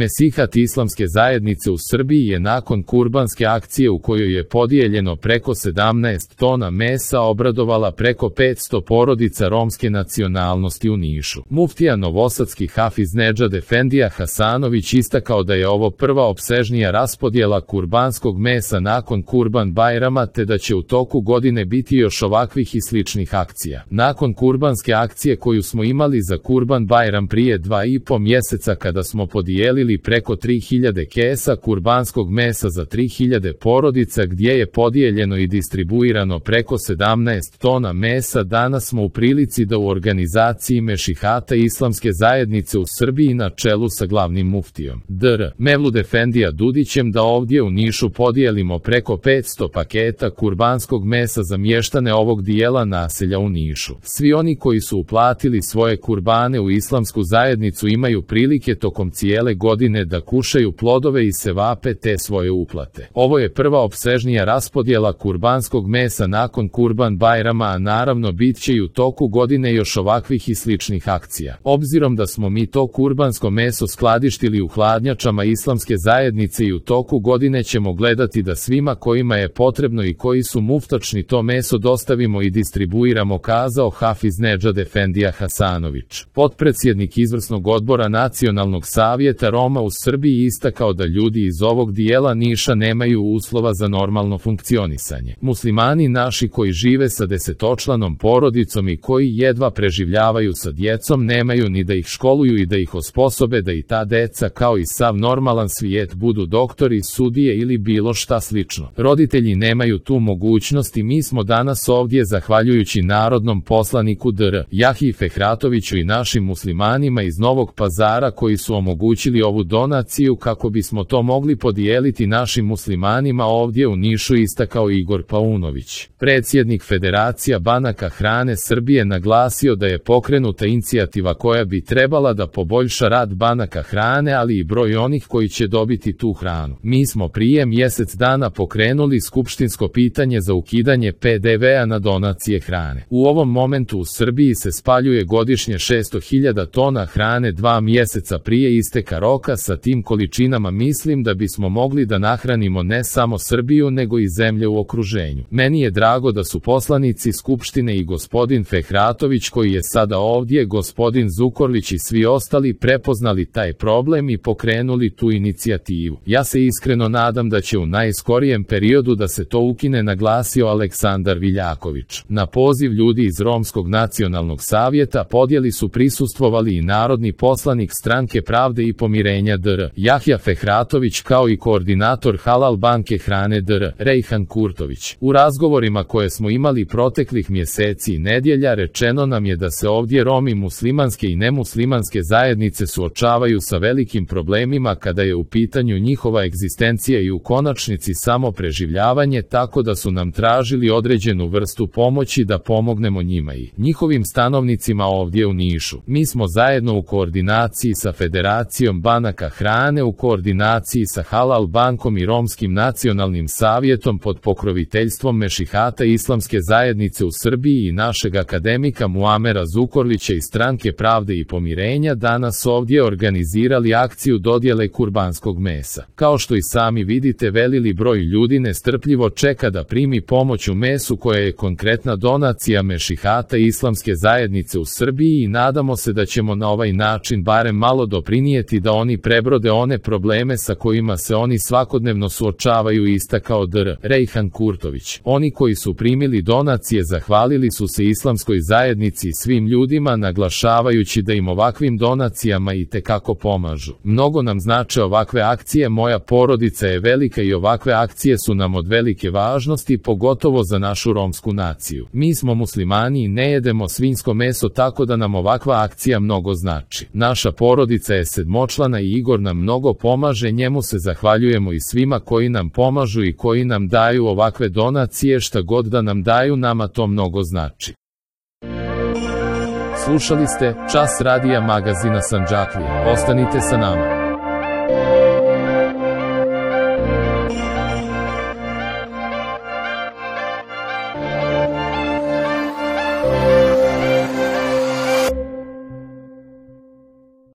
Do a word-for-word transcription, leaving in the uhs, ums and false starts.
Mesihat islamske zajednice u Srbiji je nakon kurbanske akcije u kojoj je podijeljeno preko sedamnaest tona mesa obradovala preko petsto porodica romske nacionalnosti u Nišu. Muftija novosadski Hafiz Nedžad Efendija Hasanović istakao da je ovo prva opsežnija raspodjela kurbanskog mesa nakon Kurban Bajrama te da će u toku godine biti još ovakvih i sličnih akcija. Nakon kurbanske akcije koju smo imali za Kurban Bajram prije dva i po mjeseca kada smo podijelili preko tri hiljade kesa kurbanskog mesa za tri hiljade porodica gdje je podijeljeno i distribuirano preko sedamnaest tona mesa, danas smo u prilici da u organizaciji Mešihata islamske zajednice u Srbiji na čelu sa glavnim muftijom dr. Mevlud Efendija Dudićem da ovdje u Nišu podijelimo preko petsto paketa kurbanskog mesa za mještane ovog dijela naselja u Nišu. Svi oni koji su uplatili svoje kurbane u islamsku zajednicu imaju prilike tokom cijele godine da kušaju plodove i sevape te svoje uplate. Ovo je prva opsežnija raspodjela kurbanskog mesa nakon Kurban Bajrama, a naravno bit će i u toku godine još ovakvih i sličnih akcija. Obzirom da smo mi to kurbansko meso skladištili u hladnjačama islamske zajednice i u toku godine ćemo gledati da svima kojima je potrebno i koji su muftačni to meso dostavimo i distribuiramo, kazao Hafiz Nedžad Efendija Hasanović. Potpredsjednik izvršnog odbora Nacionalnog savjeta Roma u Srbiji istakao da ljudi iz ovog dijela Niša nemaju uslova za normalno funkcionisanje. Muslimani naši koji žive sa desetočlanom porodicom i koji jedva preživljavaju sa djecom nemaju ni da ih školuju i da ih osposobe da i ta deca kao i sav normalan svijet budu doktori, sudije ili bilo šta slično. Roditelji nemaju tu mogućnost i mi smo danas ovdje zahvaljujući narodnom poslaniku dr. Jahji Fehratoviću i našim muslimanima iz Novog Pazara koji su omogućili ovu donaciju kako bismo to mogli podijeliti našim muslimanima ovdje u Nišu, istakao Igor Paunović. Predsjednik Federacija banaka hrane Srbije naglasio da je pokrenuta inicijativa koja bi trebala da poboljša rad banaka hrane, ali i broj onih koji će dobiti tu hranu. Mi smo prije mjesec dana pokrenuli skupštinsko pitanje za ukidanje pe de vea na donacije hrane. U ovom momentu u Srbiji se spaljuje godišnje šesto hiljada tona hrane dva mjeseca prije isteka roka. Sa tim količinama mislim da bismo mogli da nahranimo ne samo Srbiju nego i zemlje u okruženju. Meni je drago da su poslanici Skupštine i gospodin Fehratović koji je sada ovdje, gospodin Zukorlić i svi ostali prepoznali taj problem i pokrenuli tu inicijativu. Ja se iskreno nadam da će u najskorijem periodu da se to ukine, naglasio Aleksandar Viljaković. Na poziv ljudi iz Romskog nacionalnog savjeta podjeli su prisustvovali i narodni poslanik Stranke pravde i pomirenja dr. Jahja Fehratović kao i koordinator Halal banke hrane dr. Rejhan Kurtović. U razgovorima koje smo imali proteklih mjeseci i nedjelja rečeno nam je da se ovdje Romi muslimanske i nemuslimanske zajednice suočavaju sa velikim problemima kada je u pitanju njihova egzistencija i u konačnici samo preživljavanje, tako da su nam tražili određenu vrstu pomoći da pomognemo njima i njihovim stanovnicima ovdje u Nišu. Mi smo zajedno u koordinaciji sa Federacijom banaka hrane, u koordinaciji sa Halal bankom i Romskim nacionalnim savjetom pod pokroviteljstvom Mešihata islamske zajednice u Srbiji i našeg akademika Muamera Zukorlića iz Stranke pravde i pomirenja danas ovdje organizirali akciju dodjele kurbanskog mesa. Kao što i sami vidite, veliki broj ljudi nestrpljivo čeka da primi pomoć u mesu koja je konkretna donacija Mešihata islamske zajednice u Srbiji i nadamo se da ćemo na ovaj način barem malo doprinijeti da oni prebrode one probleme sa kojima se oni svakodnevno suočavaju, istakao dr. Rejhan Kurtović. Oni koji su primili donacije zahvalili su se islamskoj zajednici i svim ljudima, naglašavajući da im ovakvim donacijama i tekako pomažu. Mnogo nam znače ovakve akcije, moja porodica je velika i ovakve akcije su nam od velike važnosti, pogotovo za našu romsku naciju. Mi smo muslimani i ne jedemo svinjsko meso, tako da nam ovakva akcija mnogo znači. Naša porodica je sedmočlana i Igor nam mnogo pomaže, njemu se zahvaljujemo i svima koji nam pomažu i koji nam daju ovakve donacije, šta god da nam daju, nama to mnogo znači. Slušali ste Čas radija magazina Sandžaklija. Ostanite sa nama.